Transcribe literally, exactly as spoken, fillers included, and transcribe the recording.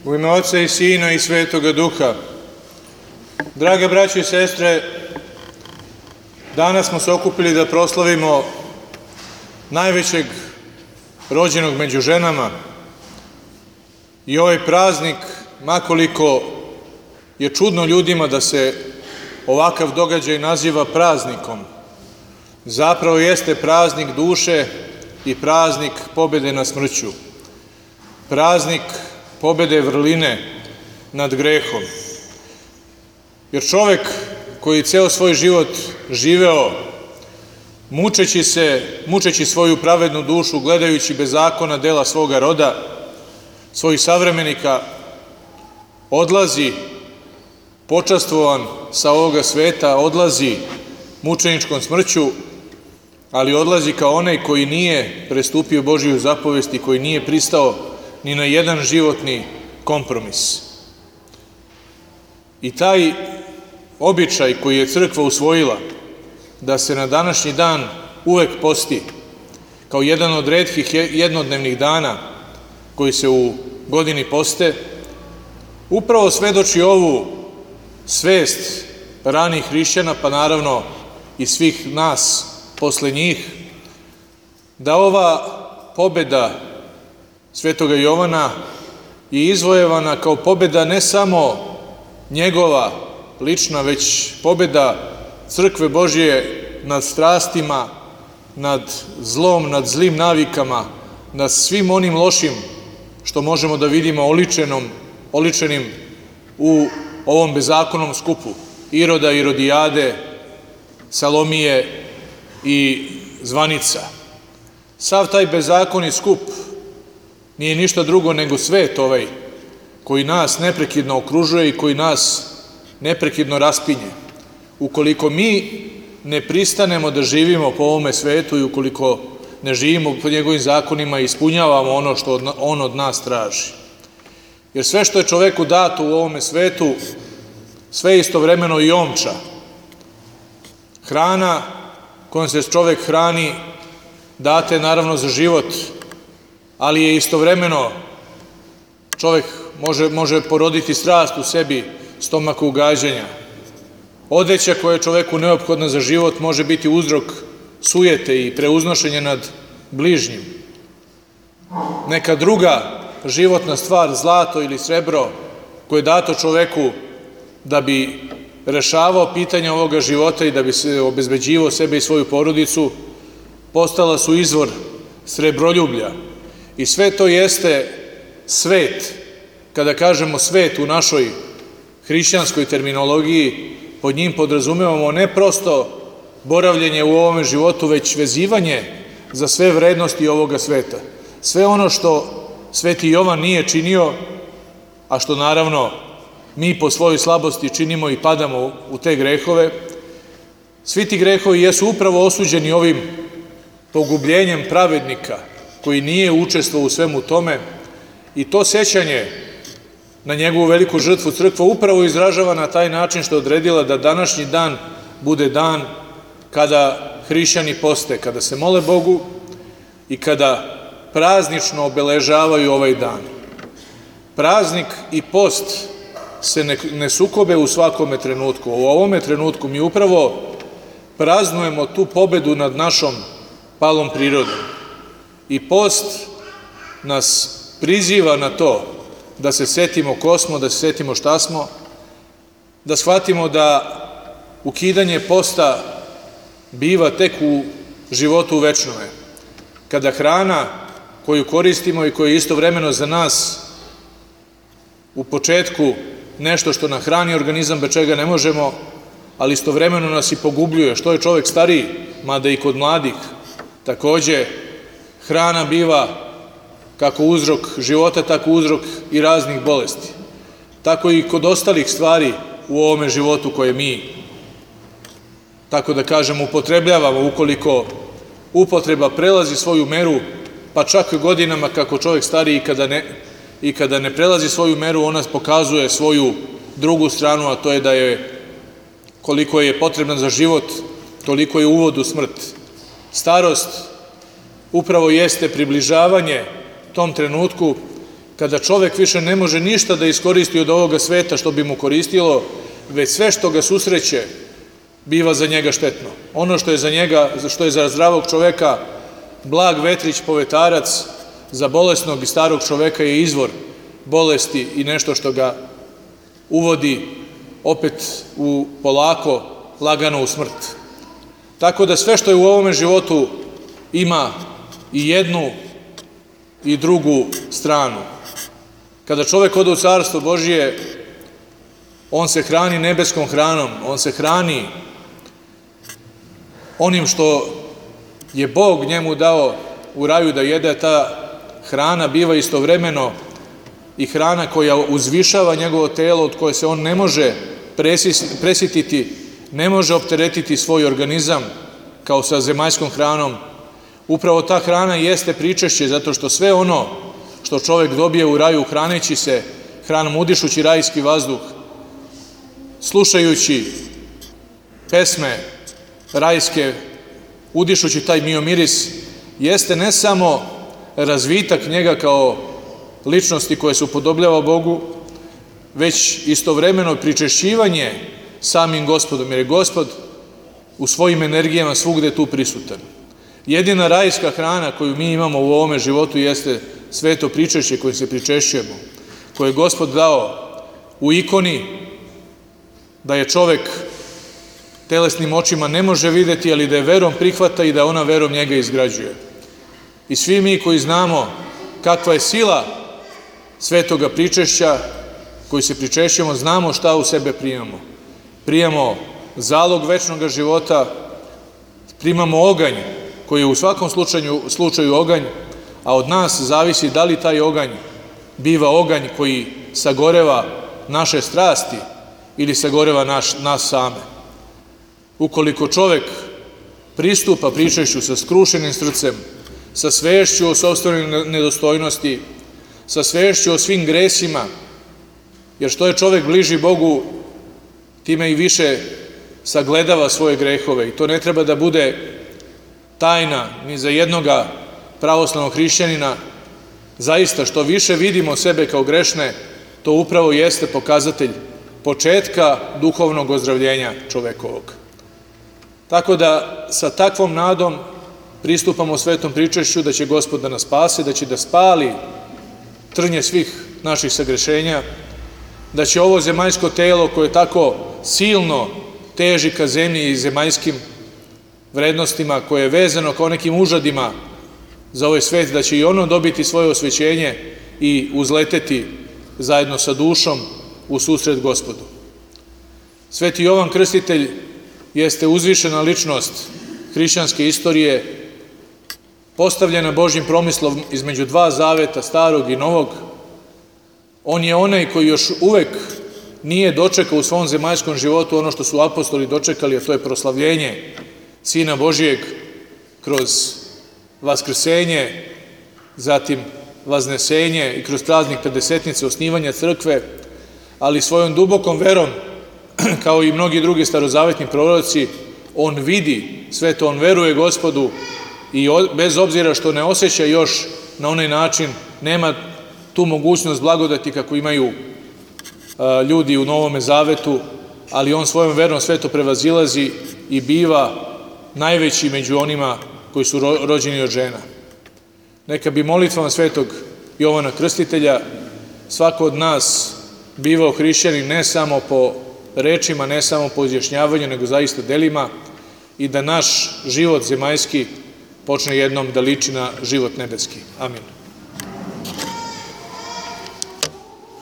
U ime Oca i Sina i Svetoga Duha. Drage braće i sestre, danas smo se okupili da proslavimo najvećeg rođenog među ženama i ovaj praznik, makoliko je čudno ljudima da se ovakav događaj naziva praznikom, zapravo jeste praznik duše i praznik pobede nad smrću, praznik pobede vrline nad grehom. Jer čovek koji ceo svoj život živeo mučeći se, mučeći svoju pravednu dušu, gledajući bez zakona dela svoga roda, svojih savremenika, odlazi počastvovan sa ovoga sveta, odlazi mučeničkom smrću, ali odlazi kao onaj koji nije prestupio Božiju zapovest i koji nije pristao ni na jedan životni kompromis. I taj običaj koji je crkva usvojila, da se na današnji dan uvek posti, kao jedan od retkih jednodnevnih dana koji se u godini poste, upravo svedoči ovu svest ranih hrišćana, pa naravno i svih nas posle njih, da ova pobeda Svetoga Jovana je izvojevana kao pobeda ne samo njegova lična, već pobeda crkve Božje nad strastima, nad zlom, nad zlim navikama, nad svim onim lošim što možemo da vidimo oličenom, oličenim u ovom bezakonom skupu Iroda, Irodijade, Salomije i zvanica. Sav taj bezakoni skup nije ništa drugo nego svet ovaj koji nas neprekidno okružuje i koji nas neprekidno raspinje. Ukoliko mi ne pristanemo da živimo po ovome svetu i ukoliko ne živimo po njegovim zakonima i ispunjavamo ono što on od nas traži. Jer sve što je čoveku dato u ovome svetu, sve je istovremeno i omča. Hrana kojom se čovek hrani date je naravno za život, ali je istovremeno čovek može, može poroditi strast u sebi, stomaka ugađanja. Odeća koja je čoveku neophodna za život može biti uzrok sujete i preuznošenja nad bližnjim. Neka druga životna stvar, zlato ili srebro, koje je dato čoveku da bi rešavao pitanja ovoga života i da bi se obezbeđivao sebe i svoju porodicu, postala su izvor srebroljublja. I sve to jeste svet. Kada kažemo svet u našoj hrišćanskoj terminologiji, pod njim podrazumevamo ne prosto boravljenje u ovome životu, već vezivanje za sve vrednosti ovoga sveta. Sve ono što Sveti Jovan nije činio, a što naravno mi po svojoj slabosti činimo i padamo u te grehove, svi ti grehovi jesu upravo osuđeni ovim pogubljenjem pravednika koji nije učestvovao u svemu tome, i to sećanje na njegovu veliku žrtvu crkva upravo izražava na taj način što je odredila da današnji dan bude dan kada hrišćani poste, kada se mole Bogu i kada praznično obeležavaju ovaj dan. Praznik i post se ne, ne sukobe u svakome trenutku. U ovome trenutku mi upravo praznujemo tu pobedu nad našom palom prirodom. I post nas priziva na to da se setimo ko smo, da se setimo šta smo, da shvatimo da ukidanje posta biva tek u životu večnome, kada hrana koju koristimo i koja je istovremeno za nas u početku nešto što nahrani organizam, bez čega ne možemo, ali istovremeno nas i pogubljuje. Što je čovek stariji, mada i kod mladih, takođe hrana biva kako uzrok života, tako uzrok i raznih bolesti. Tako i kod ostalih stvari u ovome životu koje mi, tako da kažem, upotrebljavamo, ukoliko upotreba prelazi svoju meru, pa čak godinama kako čovjek stari i kada ne, i kada ne prelazi svoju meru, ona pokazuje svoju drugu stranu, a to je da je koliko je potrebna za život, toliko je uvod u smrt. Starost upravo jeste približavanje tom trenutku kada čovek više ne može ništa da iskoristi od ovoga sveta što bi mu koristilo, već sve što ga susreće biva za njega štetno. Ono što je za njega, što je za zdravog čoveka blag vetrić, povetarac, za bolesnog i starog čoveka je izvor bolesti i nešto što ga uvodi opet u polako, lagano u smrt. Tako da sve što je u ovome životu ima i jednu i drugu stranu. Kada čovek ode u Carstvo Božije, on se hrani nebeskom hranom, on se hrani onim što je Bog njemu dao u raju da jede. Ta hrana biva istovremeno i hrana koja uzvišava njegovo telo, od koje se on ne može presititi, ne može opteretiti svoj organizam kao sa zemaljskom hranom. Upravo ta hrana jeste pričešće, zato što sve ono što čovek dobije u raju hraneći se hranom, udišući rajski vazduh, slušajući pesme rajske, udišući taj miomiris, jeste ne samo razvitak njega kao ličnosti koje se upodobljava Bogu, već istovremeno pričešćivanje samim Gospodom, jer je Gospod u svojim energijama svugde tu prisutan. Jedina rajska hrana koju mi imamo u ovome životu jeste sveto pričešće kojim se pričešćujemo, koje je Gospod dao u ikoni, da je čovek telesnim očima ne može videti, ali da je verom prihvata i da ona verom njega izgrađuje. I svi mi koji znamo kakva je sila svetoga pričešća, koji se pričešćujemo, znamo šta u sebe primamo. Primamo zalog večnog života, primamo oganj, koji je u svakom slučaju, slučaju oganj, a od nas zavisi da li taj oganj biva oganj koji sagoreva naše strasti ili sagoreva naš, nas same. Ukoliko čovek pristupa pričešću sa skrušenim srcem, sa svešću o sopstvenoj nedostojnosti, sa svešću o svim gresima, jer što je čovek bliži Bogu, time i više sagledava svoje grehove. I to ne treba da bude tajna ni za jednoga pravoslavnog hrišćanina. Zaista, što više vidimo sebe kao grešne, to upravo jeste pokazatelj početka duhovnog ozdravljenja čovekovog. Tako da sa takvom nadom pristupamo svetom pričešću da će Gospod da nas spase, da će da spali trnje svih naših sagrešenja, da će ovo zemaljsko telo koje tako silno teži ka zemlji i zemaljskim vrednostima, koje je vezano kao nekim užadima za ovaj svet, da će i ono dobiti svoje osvećenje i uzleteti zajedno sa dušom u susret Gospodu. Sveti Jovan Krstitelj jeste uzvišena ličnost hrišćanske istorije, postavljena Božjim promislom između dva zaveta, starog i novog. On je onaj koji još uvek nije dočekao u svom zemaljskom životu ono što su apostoli dočekali, a to je proslavljenje Sina Božijeg kroz vaskrsenje, zatim vaznesenje i kroz praznik Pedesetnice, osnivanja crkve, ali svojom dubokom verom, kao i mnogi drugi starozavetni proroci, on vidi sve to, on veruje Gospodu i bez obzira što ne osjeća još na onaj način, nema tu mogućnost blagodati kako imaju ljudi u Novome Zavetu, ali on svojom verom sve to prevazilazi i biva najveći među onima koji su rođeni od žena. Neka bi molitvama svetog Jovana Krstitelja svako od nas bivao hrišćanin ne samo po rečima, ne samo po izjašnjavanju, nego zaista delima, i da naš život zemaljski počne jednom da liči na život nebeski. Amin.